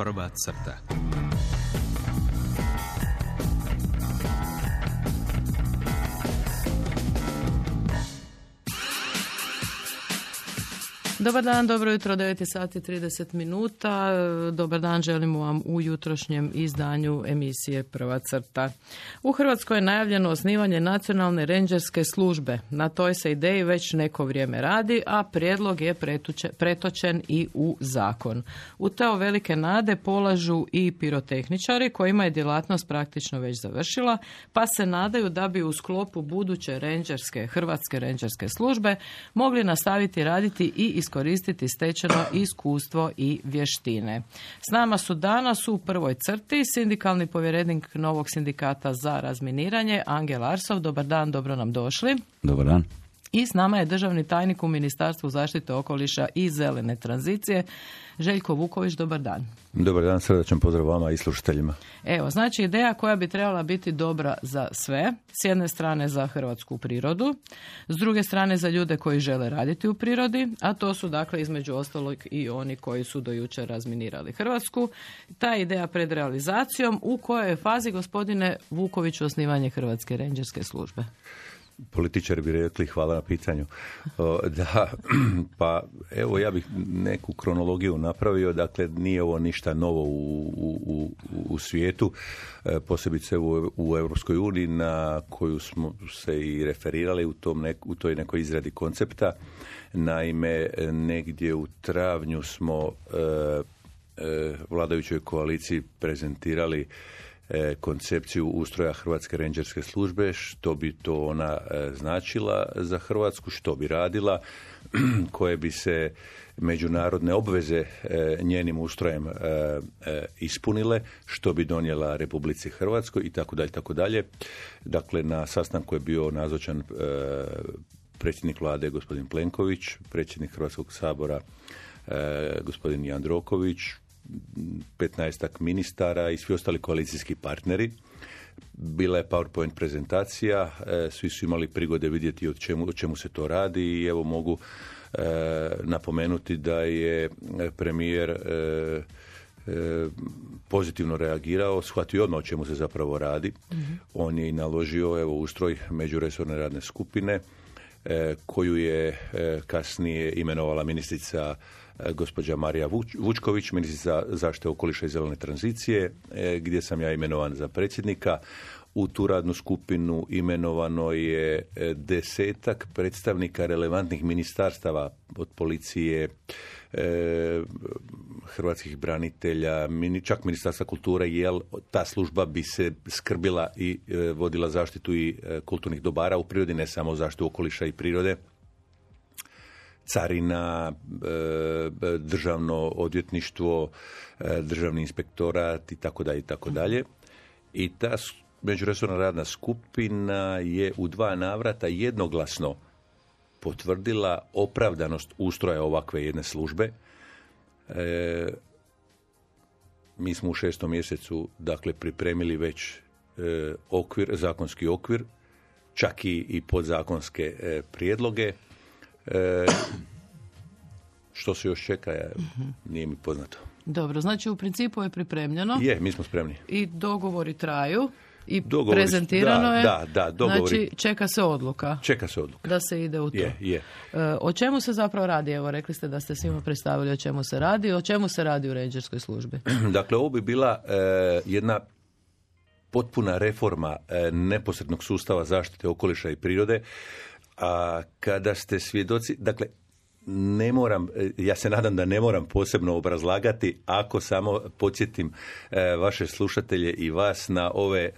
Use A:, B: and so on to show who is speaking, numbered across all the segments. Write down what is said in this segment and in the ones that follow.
A: Prva crta.
B: Dobar dan, dobro jutro, 9 sati 30 minuta. Dobar dan želimo vam u jutrošnjem izdanju emisije Prva crta. U Hrvatskoj je najavljeno osnivanje nacionalne rendžerske službe. Na toj se ideji već neko vrijeme radi, a prijedlog je pretočen i u zakon. U te velike nade polažu i pirotehničari kojima je djelatnost praktično već završila, pa se nadaju da bi u sklopu buduće hrvatske rendžerske službe mogli nastaviti raditi i iskoristiti stečeno iskustvo i vještine. S nama su danas u prvoj crti sindikalni povjerenik novog sindikata za razminiranje, Angel Arsov. Dobar dan, dobro nam došli.
C: Dobar dan.
B: I s nama je državni tajnik u Ministarstvu zaštite okoliša i zelene tranzicije, Željko Vuković. Dobar dan.
C: Dobar dan, srdačan pozdrav vama i slušateljima.
B: Evo, znači ideja koja bi trebala biti dobra za sve, s jedne strane za hrvatsku prirodu, s druge strane za ljude koji žele raditi u prirodi, a to su dakle između ostalog i oni koji su do jučer razminirali Hrvatsku. Ta ideja pred realizacijom, u kojoj je fazi, gospodine Vuković, osnivanje Hrvatske rendžerske službe?
C: Političari bi rekli hvala na pitanju. Da, pa evo ja bih neku kronologiju napravio, dakle nije ovo ništa novo u svijetu, posebice u Europskoj uniji na koju smo se i referirali u toj nekoj izradi koncepta. Naime, negdje u travnju smo vladajućoj koaliciji prezentirali koncepciju ustroja Hrvatske rendžerske službe, što bi to ona značila za Hrvatsku, što bi radila, koje bi se međunarodne obveze njenim ustrojem ispunile, što bi donijela Republici Hrvatskoj i tako dalje, tako dalje. Dakle, na sastanku je bio nazočan predsjednik vlade gospodin Plenković, predsjednik Hrvatskog sabora gospodin Jandroković, 15 ministara i svi ostali koalicijski partneri. Bila je PowerPoint prezentacija, svi su imali prigode vidjeti o čemu se to radi i evo mogu napomenuti da je premijer pozitivno reagirao, shvatio odmah o čemu se zapravo radi. Mm-hmm. On je i naložio ustroj međuresorne radne skupine koju je kasnije imenovala ministrica gospođa Marija Vučković, ministrica zaštite okoliša i zelene tranzicije, gdje sam ja imenovan za predsjednika. U tu radnu skupinu imenovano je 10 predstavnika relevantnih ministarstava, od policije, hrvatskih branitelja, čak Ministarstva kulture, jer ta služba bi se skrbila i vodila zaštitu i kulturnih dobara u prirodi, ne samo zaštitu okoliša i prirode. Carina, državno odvjetništvo, državni inspektorat i tako dalje i tako dalje. I ta međuresorna radna skupina je u 2 navrata jednoglasno potvrdila opravdanost ustroja ovakve jedne službe. Mi smo u 6. mjesecu dakle pripremili već zakonski okvir, čak i podzakonske prijedloge. Što se još čeka, nije mi poznato.
B: Dobro, znači u principu je pripremljeno.
C: Mi smo spremni.
B: I dogovori traju. I prezentirano je.
C: Da, dogovori.
B: Znači čeka se odluka. Da se ide u to.
C: Je.
B: O čemu se zapravo radi? Evo, rekli ste da ste svima predstavili o čemu se radi. O čemu se radi u rendžerskoj službi?
C: Dakle, ovo bi bila jedna potpuna reforma neposrednog sustava zaštite okoliša i prirode. A kada ste svjedoci, dakle, ja se nadam da ne moram posebno obrazlagati ako samo podsjetim vaše slušatelje i vas na ove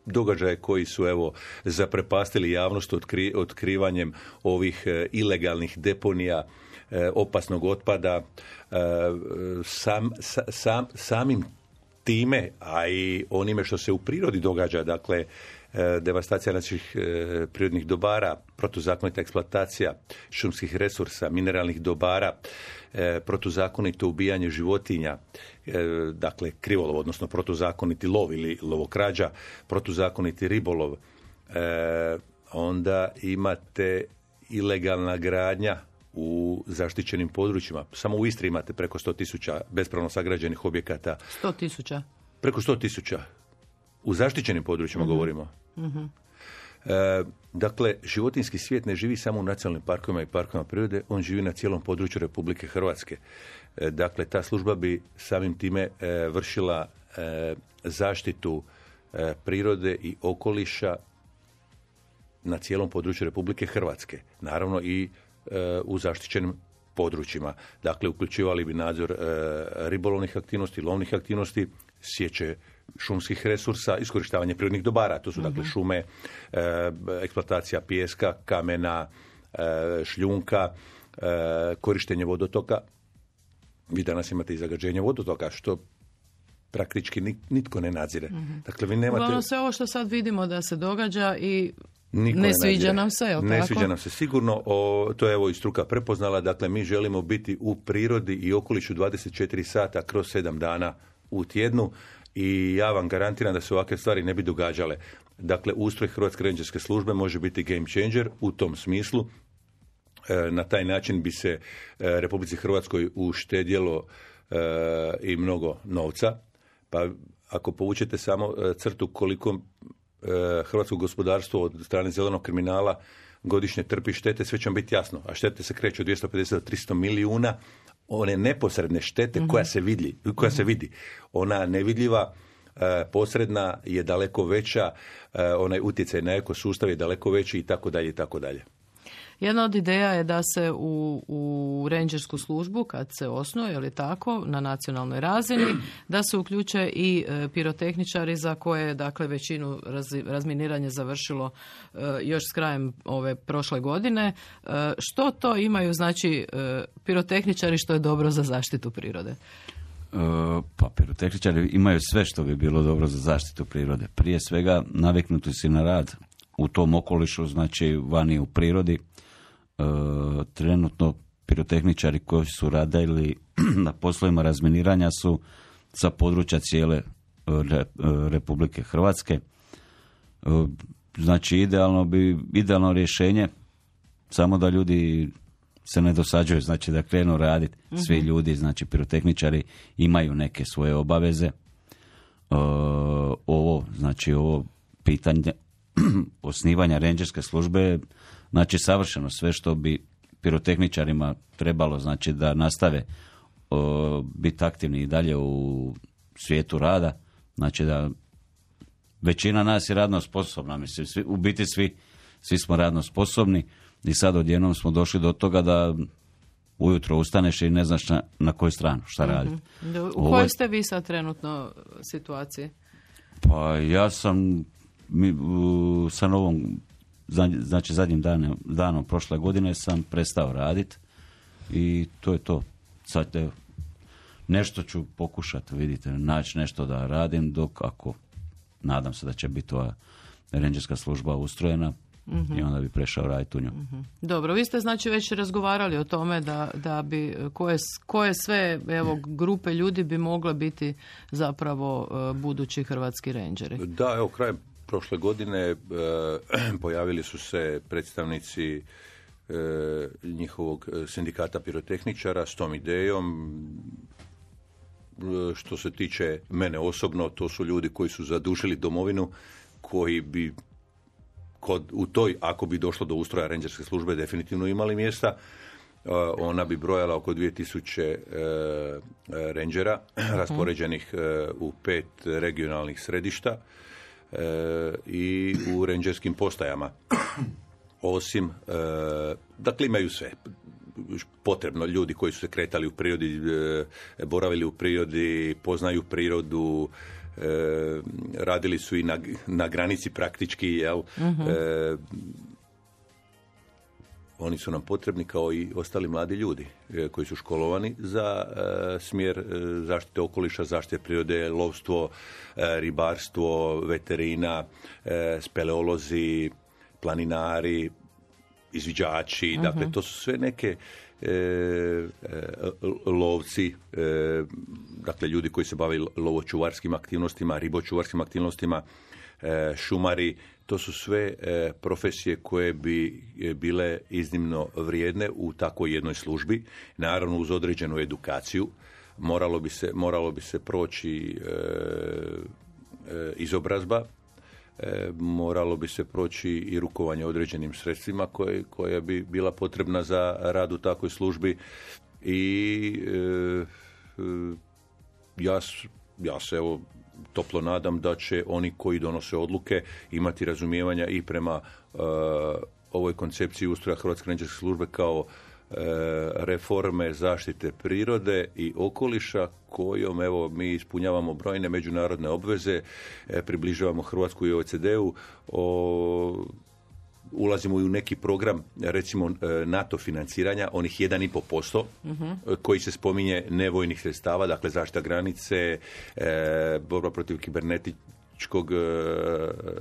C: događaje koji su zaprepastili javnost otkrivanjem ovih ilegalnih deponija opasnog otpada. Samim time, a i onime što se u prirodi događa, dakle, devastacija naših prirodnih dobara, protuzakonita eksploatacija šumskih resursa, mineralnih dobara, protuzakonito ubijanje životinja, dakle krivolov, odnosno protuzakoniti lov ili lovokrađa, protuzakoniti ribolov, onda imate ilegalna gradnja u zaštićenim područjima. Samo u Istri imate preko 100.000 bespravno sagrađenih objekata.
B: 100.000?
C: Preko 100.000. U zaštićenim područjima govorimo. Dakle, životinjski svijet ne živi samo u nacionalnim parkovima i parkovima prirode, on živi na cijelom području Republike Hrvatske. Dakle, ta služba bi samim time vršila zaštitu prirode i okoliša na cijelom području Republike Hrvatske. Naravno i u zaštićenim područjima. Dakle, uključivali bi nadzor ribolovnih aktivnosti, lovnih aktivnosti, sječe šumskih resursa, iskorištavanje prirodnih dobara. To su dakle šume, eksploatacija pijeska, kamena, šljunka, korištenje vodotoka. Vi danas imate i zagađenje vodotoka, što praktički nitko ne nadzire. Dakle, vi nemate...
B: Uglavnom sve ovo što sad vidimo da se događa i ne sviđa nam se, jel'
C: ne sviđa nam se sigurno, to je evo i struka prepoznala, dakle mi želimo biti u prirodi i okolišu 24 sata kroz 7 dana u tjednu i ja vam garantiram da se ovakve stvari ne bi događale. Dakle, ustroj Hrvatske rendžerske službe može biti game changer u tom smislu. Na taj način bi se Republici Hrvatskoj uštedjelo i mnogo novca, pa ako povučete samo crtu koliko hrvatsko gospodarstvo od strane zelenog kriminala godišnje trpi štete, sve će vam biti jasno. A štete se kreću od 250 do 300 milijuna. One neposredne štete koja se vidi. Ona nevidljiva, posredna je daleko veća, onaj utjecaj na ekosustav je daleko veći i tako dalje i tako dalje.
B: Jedna od ideja je da se u rendžersku službu, kad se osnuje, ili tako, na nacionalnoj razini, da se uključe i pirotehničari za koje, dakle, većinu razminiranja završilo još s krajem ove prošle godine. Što to imaju, znači, pirotehničari što je dobro za zaštitu prirode?
A: Pa pirotehničari imaju sve što bi bilo dobro za zaštitu prirode. Prije svega naviknuti si na rad u tom okolišu, znači vani u prirodi. Trenutno pirotehničari koji su radili na poslovima razminiranja su sa područja cijele Republike Hrvatske. Znači idealno rješenje samo da ljudi se ne dosađuju, znači da krenu raditi. Svi ljudi, znači pirotehničari imaju neke svoje obaveze. Ovo pitanje osnivanja rendžerske službe, znači savršeno sve što bi pirotehničarima trebalo, znači da nastave biti aktivni i dalje u svijetu rada, znači da većina nas je radno sposobna, mislim, u biti svi smo radno sposobni i sad odjednom smo došli do toga da ujutro ustaneš i ne znaš na koju stranu šta raditi.
B: U kojoj ste vi sad trenutno situaciji?
A: Pa ja sam sa novom, znači zadnjim danom prošle godine sam prestao raditi i to je to. Sad nešto ću pokušati, vidite, naći nešto da radim dok ako nadam se da će biti ova rendžerska služba ustrojena i onda bi prešao raditi u nju.
B: Dobro, vi ste znači već razgovarali o tome da bi koje sve grupe ljudi bi mogle biti zapravo budući hrvatski rendžeri.
C: Da, evo krajem prošle godine pojavili su se predstavnici njihovog sindikata pirotehničara s tom idejom. Što se tiče mene osobno, to su ljudi koji su zadužili domovinu, koji bi u toj, ako bi došlo do ustroja rendžerske službe, definitivno imali mjesta. Ona bi brojala oko 2000 rendžera raspoređenih u 5 regionalnih središta i u rendžerskim postajama. Osim, dakle imaju sve potrebno, ljudi koji su se kretali u prirodi, boravili u prirodi, poznaju prirodu, radili su i na granici praktički, jel? Oni su nam potrebni kao i ostali mladi ljudi koji su školovani za smjer zaštite okoliša, zaštite prirode, lovstvo, ribarstvo, veterina, speleolozi, planinari, izviđači, dakle to su sve neke lovci, dakle ljudi koji se bave lovočuvarskim aktivnostima, ribočuvarskim aktivnostima, šumari. To su sve profesije koje bi bile iznimno vrijedne u takvoj jednoj službi, naravno uz određenu edukaciju. Moralo bi se proći izobrazba, moralo bi se proći i rukovanje određenim sredstvima koja bi bila potrebna za rad u takvoj službi i ja se evo toplo nadam da će oni koji donose odluke imati razumijevanja i prema ovoj koncepciji ustroja Hrvatske rendžerske službe kao reforme zaštite prirode i okoliša kojom evo mi ispunjavamo brojne međunarodne obveze, približavamo Hrvatsku i OECD-u, ulazimo i u neki program, recimo NATO financiranja, onih 1,5%, koji se spominje nevojnih sredstava, dakle zaštita granice, borba protiv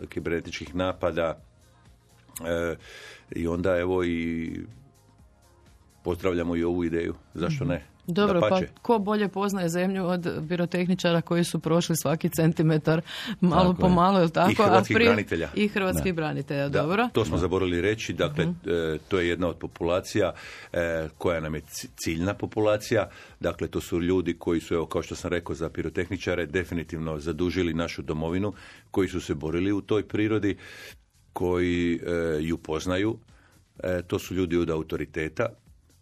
C: kibernetičkih napada, i onda evo i pozdravljamo i ovu ideju. Zašto ne?
B: Dobro,
C: Dapače.
B: pa ko bolje poznaje zemlju od pirotehničara koji su prošli svaki centimetar malo po malo, je li tako?
C: I hrvatskih branitelja.
B: I hrvatskih branitelja,
C: Da,
B: dobro.
C: to smo zaboravili reći, dakle, to je jedna od populacija koja nam je ciljna populacija, dakle, to su ljudi koji su, evo, kao što sam rekao, za pirotehničare definitivno zadužili našu domovinu, koji su se borili u toj prirodi, koji ju poznaju, to su ljudi od autoriteta,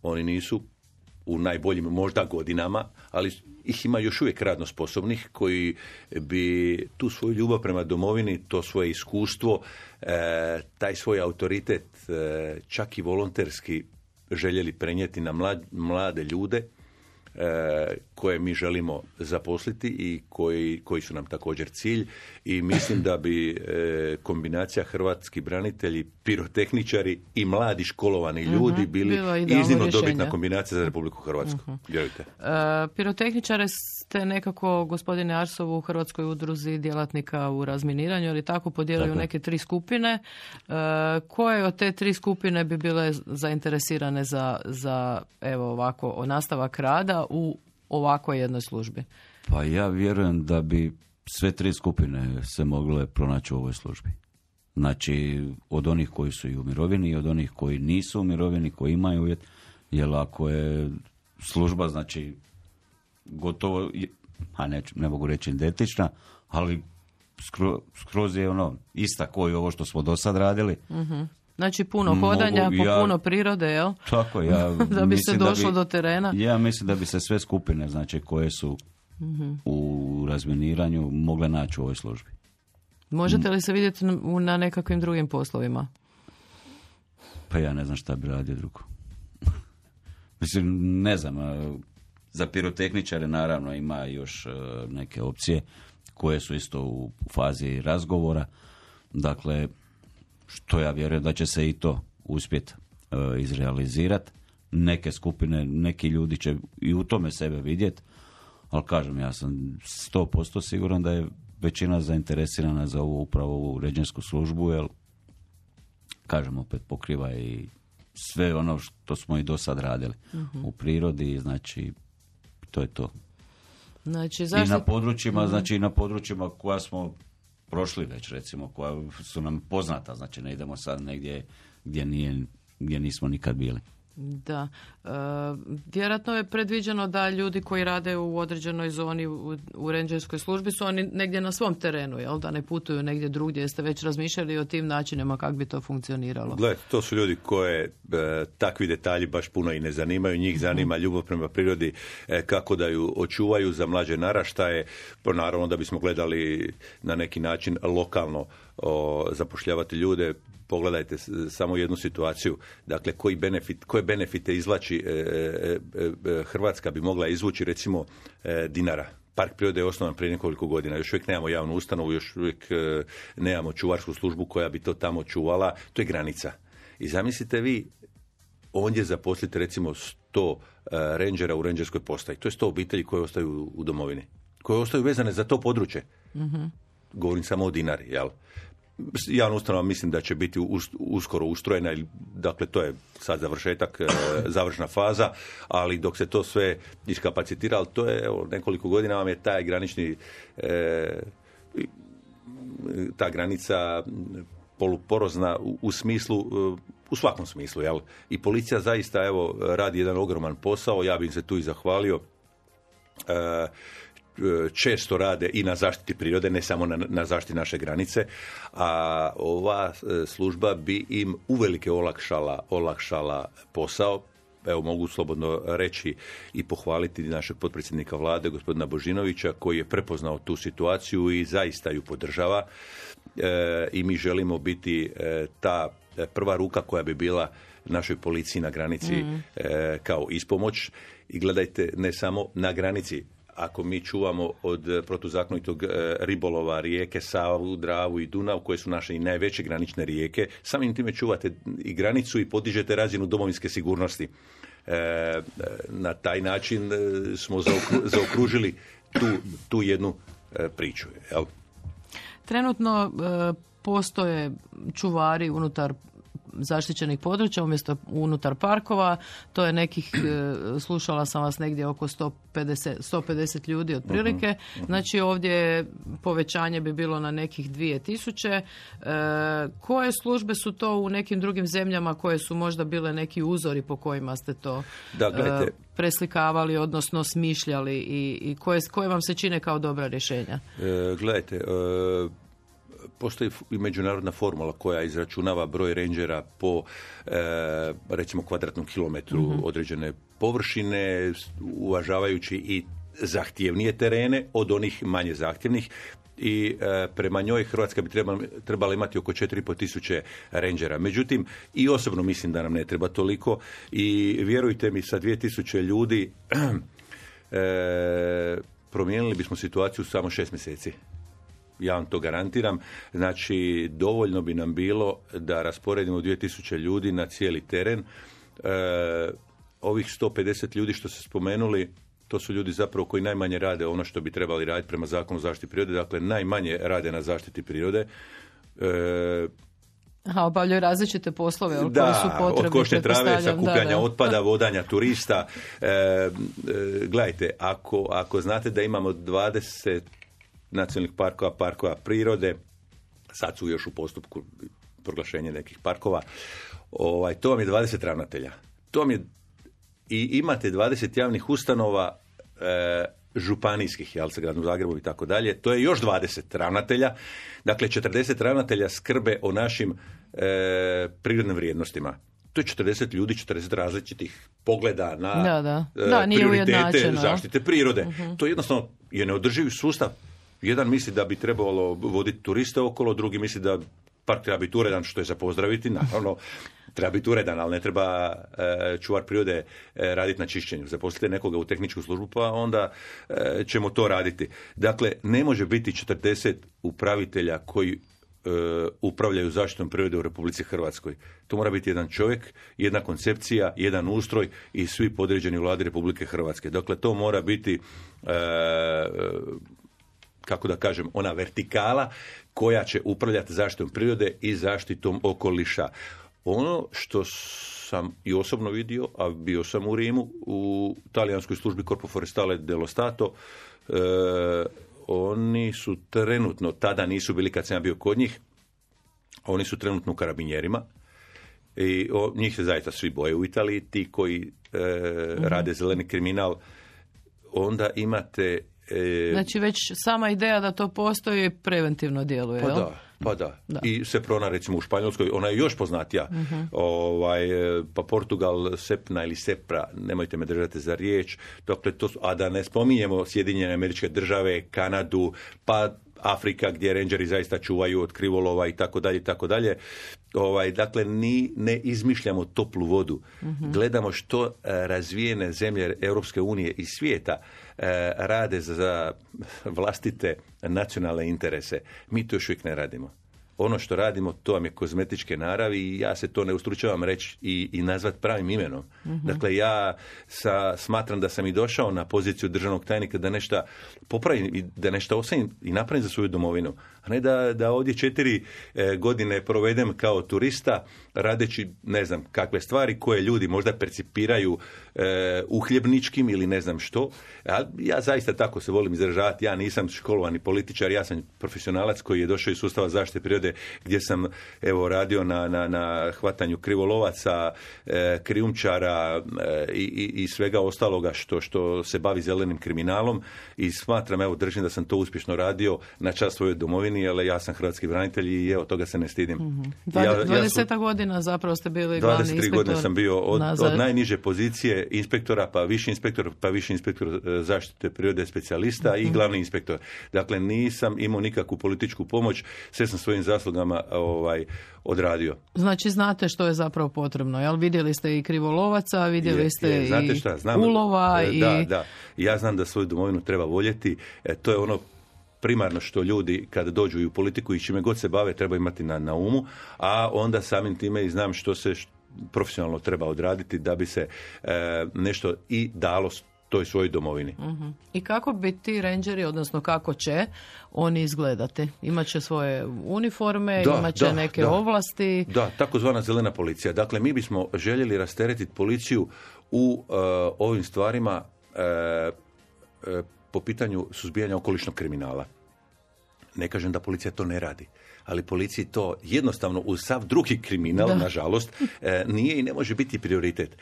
C: oni nisu u najboljim možda godinama, ali ih ima još uvijek radno sposobnih koji bi tu svoju ljubav prema domovini, to svoje iskustvo, taj svoj autoritet čak i volonterski željeli prenijeti na mlade ljude koje mi želimo zaposliti i koji su nam također cilj, i mislim da bi kombinacija hrvatski branitelji, pirotehničari i mladi školovani ljudi bili iznimno dobitna kombinacija za Republiku Hrvatsku. Vjerujte.
B: Pirotehničare ste nekako, gospodine Arsov, u Hrvatskoj udruzi djelatnika u razminiranju, ali tako podijelili u neke 3 skupine. Koje od te 3 skupine bi bile zainteresirane za evo ovako nastavak rada u ovakvoj jednoj službi?
A: Pa ja vjerujem da bi sve 3 skupine se mogle pronaći u ovoj službi. Znači, od onih koji su i u mirovini i od onih koji nisu u mirovini, koji imaju uvjet, jer ako je služba, znači, gotovo, ne mogu reći identična, ali skroz je ista koji ovo što smo do sad radili.
B: Znači puno hodanja, puno prirode, jel?
A: Tako, ja
B: da bi se došlo do terena.
A: Ja mislim da bi se sve skupine, znači, koje su u razminiranju mogle naći u ovoj službi.
B: Možete li se vidjeti na nekakvim drugim poslovima?
A: Pa ja ne znam šta bi radio drugo. Mislim, ne znam, za pirotehničare naravno ima još neke opcije koje su isto u fazi razgovora. Dakle, što ja vjerujem da će se i to uspjeti izrealizirati. Neke skupine, neki ljudi će i u tome sebe vidjeti, ali kažem, ja sam 100% siguran da je većina zainteresirana za upravo ovu rendžersku službu, jer, kažem, opet pokriva i sve ono što smo i do sad radili u prirodi, znači to je to.
B: Znači,
A: i na područjima, znači na područjima koja smo prošli već, recimo, koja su nam poznata, znači ne idemo sad negdje gdje nismo nikad bili.
B: Da. Vjerojatno je predviđeno da ljudi koji rade u određenoj zoni u rendžerskoj službi su oni negdje na svom terenu, jel? Da ne putuju negdje drugdje. Jeste već razmišljali o tim načinima kako bi to funkcioniralo?
C: Gle, to su ljudi koje takvi detalji baš puno i ne zanimaju. Njih zanima ljubav prema prirodi, kako da ju očuvaju za mlađe naraštaje. Naravno da bismo gledali na neki način lokalno zapošljavati ljude. Pogledajte samo jednu situaciju. Dakle, koje benefite izvlači Hrvatska bi mogla izvući, recimo, Dinara. Park prirode je osnovan prije nekoliko godina. Još uvijek nemamo javnu ustanovu, još uvijek nemamo čuvarsku službu koja bi to tamo čuvala. To je granica. I zamislite vi, ondje zaposlite recimo 100 rendžera u rendžerskoj postaji. To je 100 obitelji koje ostaju u domovini. Koje ostaju vezane za to područje. Govorim samo o Dinari, jel? Javna ustanova mislim da će biti uskoro ustrojena, dakle to je sad završetak, završna faza, ali dok se to sve iskapacitira, ali to je, evo, nekoliko godina vam je taj granični ta granica poluporozna u smislu, u svakom smislu, jel? I policija zaista, evo, radi jedan ogroman posao, ja bih se tu i zahvalio. Često rade i na zaštiti prirode, ne samo na zaštiti naše granice, a ova služba bi im uvelike olakšala posao. Evo, mogu slobodno reći i pohvaliti našeg potpredsjednika vlade, gospodina Božinovića, koji je prepoznao tu situaciju i zaista ju podržava. I mi želimo biti ta prva ruka koja bi bila našoj policiji na granici kao ispomoć. I gledajte, ne samo na granici. Ako mi čuvamo od protuzakonitog ribolova rijeke Savu, Dravu i Dunav, koje su naše i najveće granične rijeke, samim time čuvate i granicu i podižete razinu domovinske sigurnosti. Na taj način smo zaokružili tu jednu priču. Jel?
B: Trenutno postoje čuvari unutar zaštićenih područja umjesto unutar parkova. To je nekih, slušala sam vas, negdje oko 150 ljudi otprilike. Znači ovdje povećanje bi bilo na nekih 2000. Koje službe su to u nekim drugim zemljama koje su možda bile neki uzori po kojima ste to preslikavali, odnosno smišljali i koje vam se čine kao dobra rješenja?
C: Gledajte, postoji i međunarodna formula koja izračunava broj rangera po recimo kvadratnom kilometru određene površine, uvažavajući i zahtjevnije terene od onih manje zahtjevnih. I prema njoj Hrvatska bi trebala imati oko 4.500 rangera. Međutim, i osobno mislim da nam ne treba toliko i vjerujte mi, sa 2000 ljudi promijenili bismo situaciju samo 6 mjeseci. Ja vam to garantiram. Znači, dovoljno bi nam bilo da rasporedimo 2000 ljudi na cijeli teren. Ovih 150 ljudi što ste spomenuli, to su ljudi zapravo koji najmanje rade ono što bi trebali raditi prema zakonu o zaštiti prirode. Dakle, najmanje rade na zaštiti prirode.
B: Obavljaju različite poslove koji su potrebni.
C: Od košnje trave, sakupljanja otpada, vodanja turista. Gledajte, ako znate da imamo 20 nacionalnih parkova prirode, sad su još u postupku proglašenja nekih parkova, to vam je 20 ravnatelja. I imate 20 javnih ustanova županijskih, jel, sa gradom Zagrebu i tako dalje, to je još 20 ravnatelja, dakle 40 ravnatelja skrbe o našim prirodnim vrijednostima. To je 40 ljudi, 40 različitih pogleda na prioritete zaštite prirode. To jednostavno je neodrživi sustav. Jedan misli da bi trebalo voditi turiste okolo, drugi misli da park treba biti uredan, što je za pozdraviti. Naravno, treba biti uredan, ali ne treba čuvar prirode raditi na čišćenju. Zaposlite nekoga u tehničku službu, pa onda ćemo to raditi. Dakle, ne može biti 40 upravitelja koji upravljaju zaštitom prirode u Republici Hrvatskoj. To mora biti jedan čovjek, jedna koncepcija, jedan ustroj i svi podređeni u vladi Republike Hrvatske. Dakle, to mora biti kako da kažem, ona vertikala koja će upravljati zaštitom prirode i zaštitom okoliša. Ono što sam i osobno vidio, a bio sam u Rimu, u talijanskoj službi Corpo Forestale dello Stato, oni su trenutno, tada nisu bili kad sam ja bio kod njih, oni su trenutno u karabinjerima i njih se zaista svi boje u Italiji, ti koji rade zeleni kriminal, onda imate...
B: Znači već sama ideja da to postoji preventivno djeluje, jel?
C: Pa da. I Seprona, recimo u Španjolskoj, ona je još poznatija. Pa Portugal, Sepna ili Sepra, nemojte me držati za riječ. Dakle, a da ne spominjemo Sjedinjene Američke Države, Kanadu, pa Afrika gdje rangeri zaista čuvaju od krivolova i tako dalje i tako dalje. Dakle, ne izmišljamo toplu vodu. Gledamo što razvijene zemlje Europske unije i svijeta rade za vlastite nacionalne interese. Mi to još uvijek ne radimo. Ono što radimo, to vam je kozmetičke naravi i ja se to ne ustručavam reći i nazvat pravim imenom. Dakle, ja smatram da sam i došao na poziciju državnog tajnika da nešto popravim i da nešto ostavim i napravim za svoju domovinu. a ne da ovdje 4 godine provedem kao turista radeći ne znam kakve stvari koje ljudi možda percipiraju uhljebničkim ili ne znam što. Ja zaista tako se volim izražavati, ja nisam školovani političar, ja sam profesionalac koji je došao iz sustava zaštite prirode gdje sam radio na hvatanju krivolovaca, krijumčara i svega ostaloga što se bavi zelenim kriminalom i smatram, držim da sam to uspješno radio na čast svojoj domovini, ali ja sam hrvatski branitelj i toga se ne stidim.
B: 20 godina zapravo ste bili glavni inspektor. 23
C: godine sam bio od najniže pozicije inspektora, pa viši inspektor zaštite prirode specijalista i glavni inspektor. Dakle, nisam imao nikakvu političku pomoć, sve sam svojim zaslugama odradio.
B: Znači, znate što je zapravo potrebno, jel? Vidjeli ste i krivolovaca, vidjeli ste i ulova.
C: Da. Ja znam da svoju domovinu treba voljeti. To je ono primarno što ljudi kada dođu i u politiku i čime god se bave treba imati na umu, a onda samim time i znam što se profesionalno treba odraditi da bi se nešto i dalo toj svojoj domovini.
B: Uh-huh. I kako bi ti rangeri, odnosno kako će oni izgledati? Imaće svoje uniforme, imaće neke ovlasti?
C: Da, takozvana zelena policija. Dakle, mi bismo željeli rasteretiti policiju u ovim stvarima po pitanju suzbijanja okolišnog kriminala. Ne kažem da policija to ne radi, ali policiji to jednostavno uz sav drugi kriminal, nažalost, nije i ne može biti prioritet.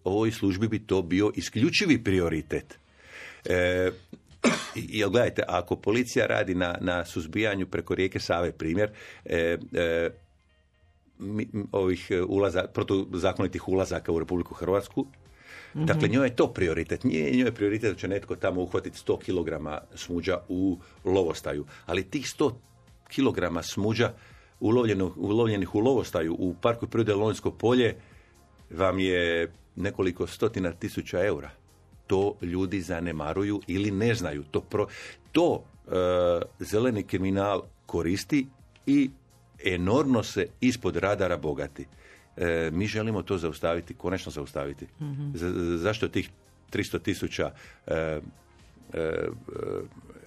C: Ovoj službi bi to bio isključivi prioritet. I gledajte, ako policija radi na suzbijanju preko rijeke Save, primjer, ovih protuzakonitih ulazaka u Republiku Hrvatsku, dakle, njoj je to prioritet. Nije njoj prioritet da će netko tamo uhvatiti 100 kg smuđa u lovostaju. Ali tih 100 kg smuđa ulovljenih u lovostaju u Parku prirode Lonjsko polje vam je nekoliko stotina tisuća eura. To ljudi zanemaruju ili ne znaju. To zeleni kriminal koristi i enormno se ispod radara bogati. Mi želimo to zaustaviti, konačno zaustaviti. Mm-hmm. Zašto tih 300.000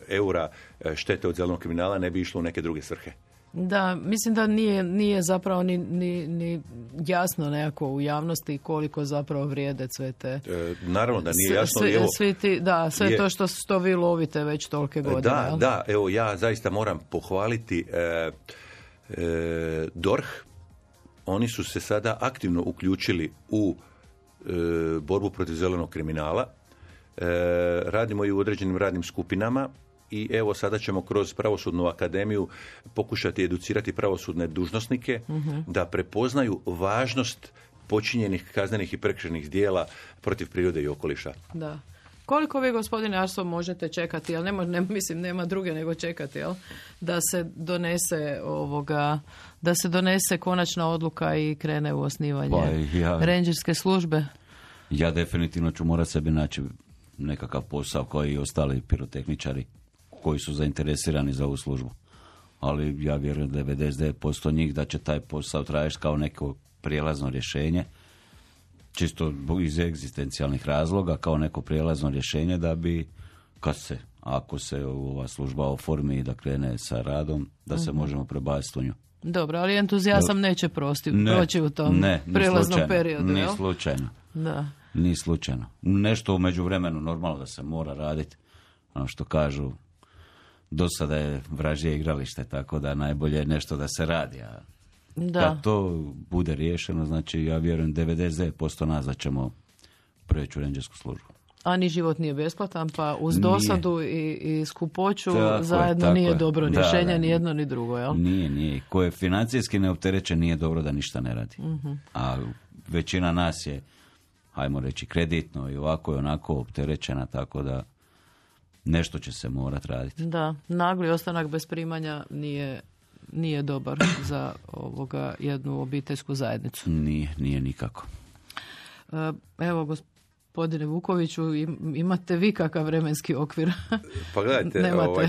C: eura štete od zelenog kriminala ne bi išlo u neke druge svrhe?
B: Da, mislim da nije zapravo ni jasno nekako u javnosti koliko zapravo vrijede sve te...
C: naravno da nije jasno.
B: Sve to što vi lovite već tolike godine.
C: Da, evo ja zaista moram pohvaliti DORH. Oni su se sada aktivno uključili u borbu protiv zelenog kriminala. Radimo i u određenim radnim skupinama i evo sada ćemo kroz Pravosudnu akademiju pokušati educirati pravosudne dužnosnike da prepoznaju važnost počinjenih kaznenih i prekršajnih djela protiv prirode i okoliša.
B: Da. Koliko vi, gospodine Arso, možete čekati, jel nema druge nego čekati, jel? Da se donese konačna odluka i krene u osnivanje rendžerske službe?
A: Ja definitivno ću morati sebi naći nekakav posao koji i ostali pirotehničari koji su zainteresirani za ovu službu. Ali ja vjerujem 99% njih da će taj posao trajati kao neko prijelazno rješenje, čisto iz egzistencijalnih razloga, kao neko prijelazno rješenje da bi, ako se ova služba oformi i da krene sa radom, da se možemo prebaciti u nju.
B: Dobro, ali entuzijazam neće proći u tom prijelaznom periodu.
A: Ni slučajno.
B: Da.
A: Ni slučajno. Nešto u međuvremenu normalno da se mora raditi. Ono što kažu, do sada je vražje igralište, tako da najbolje je nešto da se radi. A kad to bude riješeno, znači ja vjerujem 99% nas da ćemo preći u rendžersku službu.
B: A ni život nije besplatan, pa uz dosadu i skupoću zajedno nije dobro rješenje, ni jedno ni drugo, jel?
A: Nije. Ko je financijski neopterećen, nije dobro da ništa ne radi. Uh-huh. A većina nas je, hajmo reći, kreditno i ovako i onako opterećena, tako da nešto će se morati raditi. Da,
B: nagli ostanak bez primanja nije dobar za jednu obiteljsku zajednicu.
A: Nije nikako.
B: Evo, gospodine Vukoviću, imate vi kakav vremenski okvir?
C: Pa gledajte,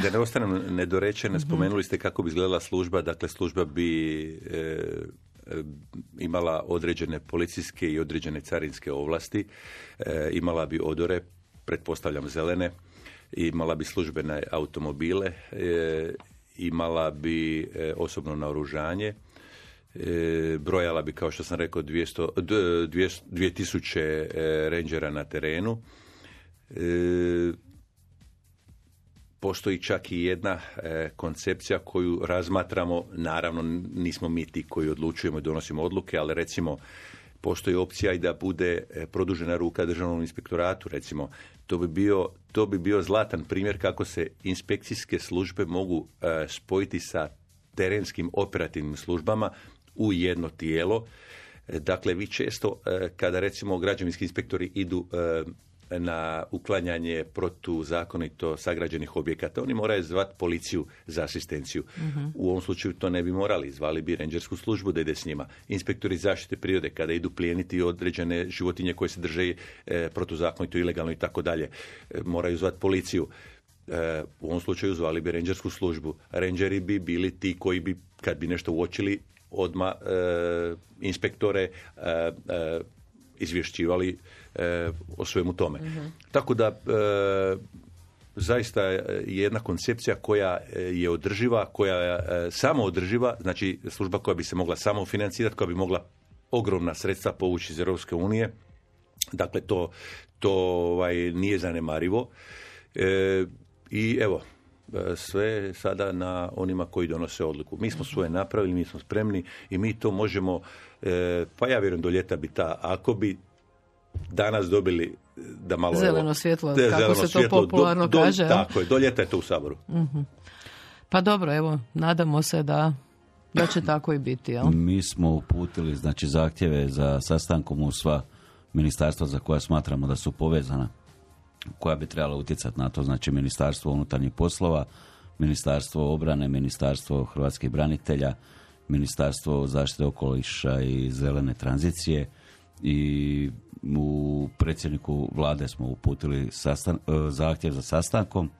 C: da ne ostanem nedorečen, spomenuli ste kako bi izgledala služba. Dakle, služba bi imala određene policijske i određene carinske ovlasti, imala bi odore, pretpostavljam zelene, imala bi službene automobile, imala bi osobno naoružanje, brojala bi, kao što sam rekao, 2000 rangera na terenu. Postoji čak i jedna koncepcija koju razmatramo, naravno nismo mi ti koji odlučujemo i donosimo odluke, ali recimo postoji opcija i da bude produžena ruka državnom inspektoratu, recimo. To bi bio zlatan primjer kako se inspekcijske službe mogu spojiti sa terenskim operativnim službama u jedno tijelo. Dakle, vi često, kada recimo građevinski inspektori idu na uklanjanje protuzakonito sagrađenih objekata, oni moraju zvati policiju za asistenciju. U ovom slučaju to ne bi morali, zvali bi rangersku službu da ide s njima. Inspektori zaštite prirode, kada idu plijeniti određene životinje koje se drže protuzakonito, ilegalno i tako dalje, moraju zvati policiju. U ovom slučaju zvali bi rangersku službu. Rangeri bi bili ti koji bi, kad bi nešto uočili, odmah inspektore izvješćivali o svemu tome. Tako da zaista je jedna koncepcija koja je održiva, koja je samoodrživa, znači služba koja bi se mogla samofinancirati, koja bi mogla ogromna sredstva povući iz Europske unije. Dakle, to nije zanemarivo. I evo, sve sada na onima koji donose odluku. Mi smo svoje napravili, mi smo spremni i mi to možemo, pa ja vjerujem do ljeta bi ako bi danas dobili da malo...
B: Zeleno svjetlo, kako se to popularno kaže.
C: Tako je, do ljeta je to u Saboru.
B: Pa dobro, evo, nadamo se da će tako i biti. Jel?
A: Mi smo uputili zahtjeve za sastankom u sva ministarstva za koja smatramo da su povezana, koja bi trebala utjecati na to, znači Ministarstvo unutarnjih poslova, Ministarstvo obrane, Ministarstvo hrvatskih branitelja, Ministarstvo zaštite okoliša i zelene tranzicije, i u predsjedniku vlade smo uputili zahtjev za sastankom,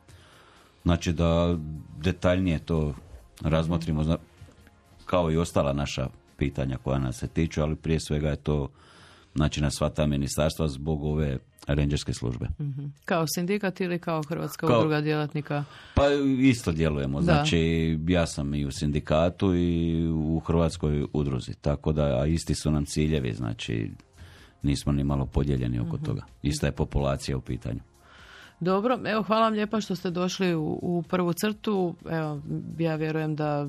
A: znači da detaljnije to razmotrimo kao i ostala naša pitanja koja nas se tiču, ali prije svega je to znači na sva ta ministarstva zbog ove rangerske službe.
B: Kao sindikat ili kao Hrvatska udruga djelatnika?
A: Pa isto djelujemo. Znači ja sam i u sindikatu i u Hrvatskoj udruzi. Tako da, a isti su nam ciljevi, znači nismo ni malo podijeljeni oko toga. Ista je populacija u pitanju.
B: Dobro, evo hvala vam lijepa što ste došli u prvu crtu. Evo, ja vjerujem da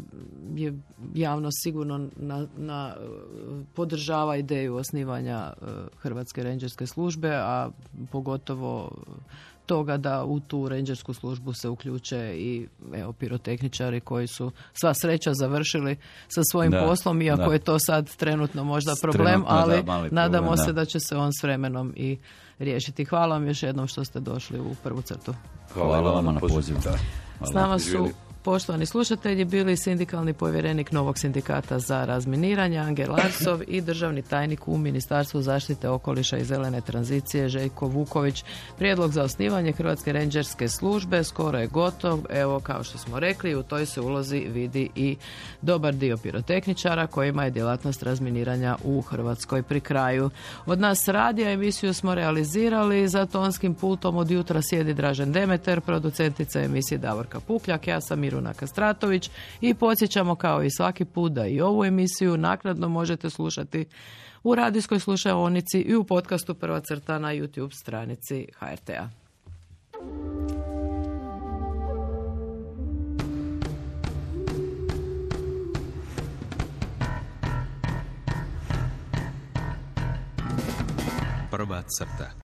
B: je javnost sigurno podržava ideju osnivanja Hrvatske rangerske službe, a pogotovo toga da u tu rangersku službu se uključe i pirotehničari koji su sva sreća završili sa svojim poslom, iako je to sad trenutno možda problem, ali nadamo se da će se on s vremenom i riješiti. Hvala vam još jednom što ste došli u prvu crtu.
A: Hvala vam na pozivu.
B: S nama su, poštovani slušatelji, bili sindikalni povjerenik Novog sindikata za razminiranje Angel Arsov i državni tajnik u Ministarstvu zaštite okoliša i zelene tranzicije Željko Vuković. Prijedlog za osnivanje Hrvatske rangerske službe skoro je gotov. Evo, kao što smo rekli, u toj se ulozi vidi i dobar dio pirotehničara kojima je djelatnost razminiranja u Hrvatskoj pri kraju. Od nas radija emisiju smo realizirali, za tonskim pultom od jutra sjedi Dražen Demeter, producentica emisije Davorka Pukljak, ja sam Miruna Kastratović i podsjećamo kao i svaki put da i ovu emisiju naknadno možete slušati u radijskoj slušaonici i u podcastu Prva crta na YouTube stranici HRT-a.
D: Prva crta.